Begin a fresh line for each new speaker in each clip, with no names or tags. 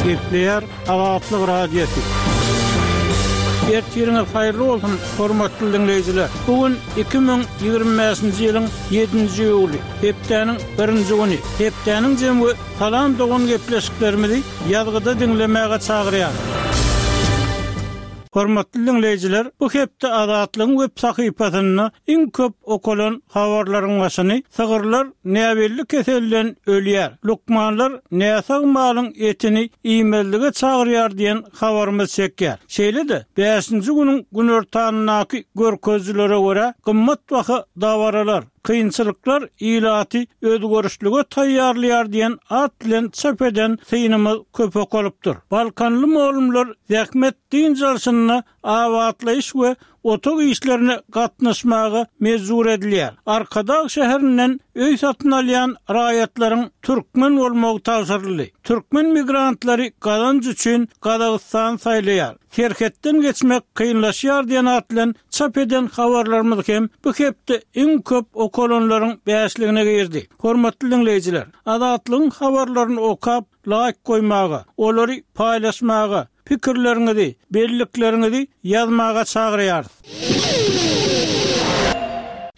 Gepleýär Azatlyk Radiosy. Ertiriňiz haýyrly bolsun, hormatly diňleýjiler! Bu gün 2025-nji ýylyň ýedinji iýuly, hepdäniň birinji güni. Hepdäniň jemi we Salam dogan gepleşiklerimizi ýazgyda diňlemäge çagyrýarys. Hormatly diňleýjiler, bu hepde Azatlygyň web sahypasynda iň köp okalan habarlaryň başyny Sygyrlar näbelli keselden ölýär, lukmanlar näsag malyň etini iýmezlige çagyrýar diýen habarymyz çekýär. Şeýle-de, bäşinji günüň günortanyndaky görkezijilere görä, gymmatbaha dabaralar, Kynçylyklar ilaty özgerişlige taýýarlaýar diýen at bilen çap eden synymyz köp okalypdyr. Balkanly mugallymlar zähmet dynç alşynda abatlaýyş we otag işlerine gatnaşmaga mejbur edilýär. Arkadag şäherinden öý satyn alýan raýatlaryň türkmen bolmagy tabşyryldy. Türkmen migrantlary gazanç üçin Gazagystany saýlaýar. Serhetden geçmek kynlaşýar diýen at bilen çap eden habarlarymyz hem bu hepde iň köp okalanlaryň bäşligine girdi. Hormatly diňleýjiler, Azatlygyň habarlaryny okap, laýk goýmaga, olary paýlaşmaga, pikirleriňizi, bellikleriňizi ýazmaga çagyrýarys.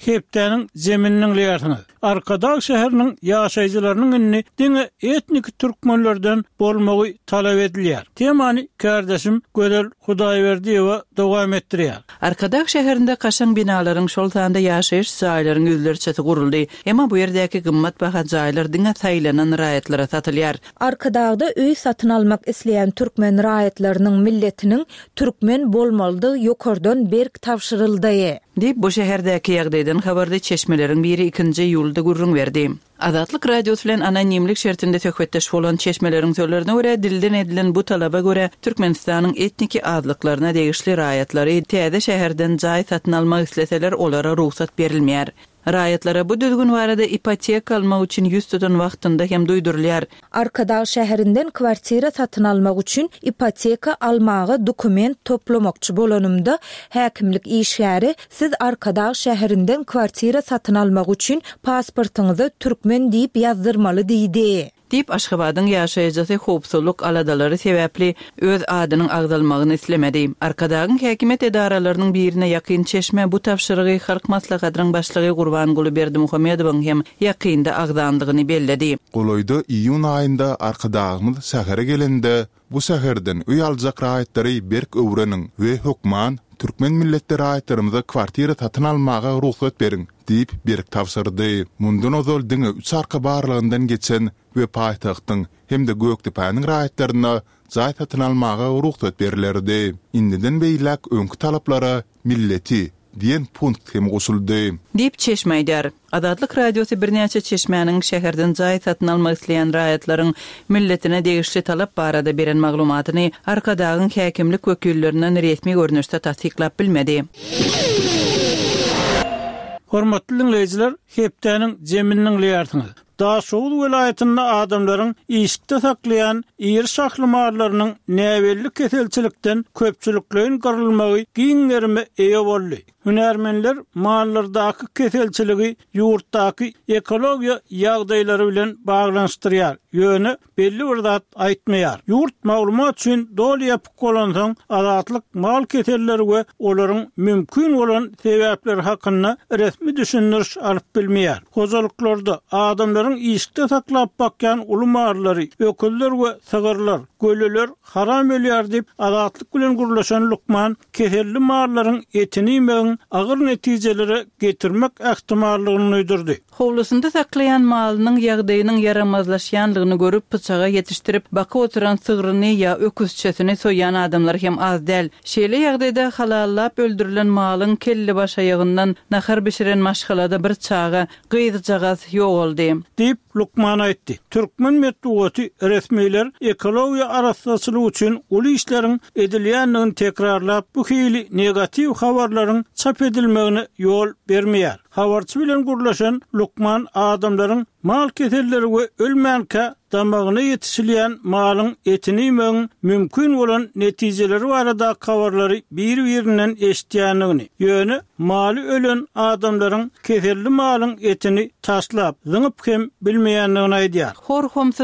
Hepdäniň zemini diňleýärsiňiz. Arkadag şäheriniň ýaşaýjylarynyň indi diňe etniki türkmenlerden bolmagy talap edilýär. Temany kärdeşim Gözel Hudaýberdiýewa dowam etdirýär.
Arkadag şäherinde kaşaň binalaryň, şol sanda ýaşaýyş jaýlaryň ýüzlerçesi guruldy. Emma bu ýerdäki gymmatbaha jaýlar diňe saýlanan raýatlara satylýar.
Arkadagda öý satyn almak isleýän türkmen raýatlarynyň milletiniň türkmen bolmalydygy ýokardan berk tabşyryldy.
Diýip, bu şäherdäki ýagdaýdan habarly çeşmeleriň biri ikinji iýulda gürrüň berdi. Azatlyk Radiosy bilen anonimlik şertinde söhbetdeş bolan çeşmeleriň sözlerine görä, dilden edilen bu talaba görä, Türkmenistanyň etniki azlyklaryna degişli raýatlary täze şäherden jaý satyn almak isleseler, olara rugsat berilmeýär. Raýatlara bu düzgün barada ipoteka almak üçin ýüz tutan wagtynda hem duýdurylýar.
Arkadag şäherinden kwartira satyn almak üçin ipoteka almaga dokument toplamakçy bolanymda, häkimlik işgäri Siz Arkadag şäherinden kwartira satyn almak üçin pasportyňyza türkmen diýip ýazdyrmaly diýdi.
Diýip, Aşgabadyň ýaşaýjysy howpsuzlyk aladalary sebäpli öz adynyň agzalmagyny islemedi. Arkadagyň häkimiýet edaralarynyň birine ýakyn çeşme bu tabşyrygy Halk Maslahatynyň Başlygy Gurbanguly Berdimuhamedowyň hem ýakynda agzandygyny belledi.
Golaýda iýun aýynda Arkadagymyz şähere gelende, bu şäherden öý aljak raýatlary berk öwreniň we hökman türkmen milletli raýatlarymyza kwartira satyn almaga rugsat beriň diýip berk tabşyrdy. Mundan ozal diňe üç arka barlagyndan geçen we paýtagtyň hem-de Gökdepäniň raýatlaryna jaý satyn almaga rugsat berlerdi. Indiden beýläk öňki talaplara milleti diýen punkt hem goşuldy.
Diýip, çeşme aýdýar. Azatlyk Radiosy birnäçe çeşmäniň şäherden jaý satyn almak isleýän raýatlaryň milletine degişli talap barada beren maglumatyny Arkadagyň häkimlik wekillerinden resmi görnüşde tassyklap bilmedi.
Hormatly diňleýjiler, hepdäniň jemini diňleýärsiňiz. Daşoguz welaýatynda adamlaryň işikde saklaýan iri şahly mallarynyň näbelli keselçilikden köpçülikleýin gyrylmagy giň gerime eýe boldy. Hünärmenler mallardaky keselçiligi ýurtdaky ekologiýa ýagdaýlary bilen baglanyşdyrýar, ýöne belli bir zat aýtmaýar. Ýurt maglumat üçin doly ýapyk bolansoň, Azatlyk mal keselleri we olaryň mümkin bolan sebäpleri hakynda resmi düşündiriş alyp bilmeýär. Hojalyklarda adamlaryň işikde saklap bakýan uly mallary, öküzler we sygyrlar, göleler haram ölýär diýip, Azatlyk bilen gürleşen lukman keselli mallaryň etini iýmegiň agyr netijelere getirmek ähtimallygyny duýdurdy.
Howlusynda saklaýan malynyň ýagdaýynyň ýaramazlaşýanlygyny görüp, pyçaga ýetişdirip, bakyp oturan sygryny ýa öküzçesini soýýan adamlar hem az däl. Şeýle ýagdaýda halallap öldürilen malyň kellebaşaýagyndan nahar bişiren maşgalada bir çaga, gyzjagaz ýogaldy.
Diýip, lukman aýtdy. Türkmen metbugaty resmiler ekologiýa arassaçylygy üçin uly işleriň edilýändigini tekrarlap, bu hili negatiw habarlaryň çap edilmegine ýol bermeýär. Habarçy bilen gürleşen lukman adamlaryň mal keselleri we ölmänkä damagyna ýetişilýän malyň etini iýmegiň mümkin bolan netijeleri baradaky habarlary bir-birinden eşidýändigini, ýöne maly ölen adamlaryň keselli malyň etini taşlap, zyňyp hem bilmeýändigini aýdýar.
Hor-homsy.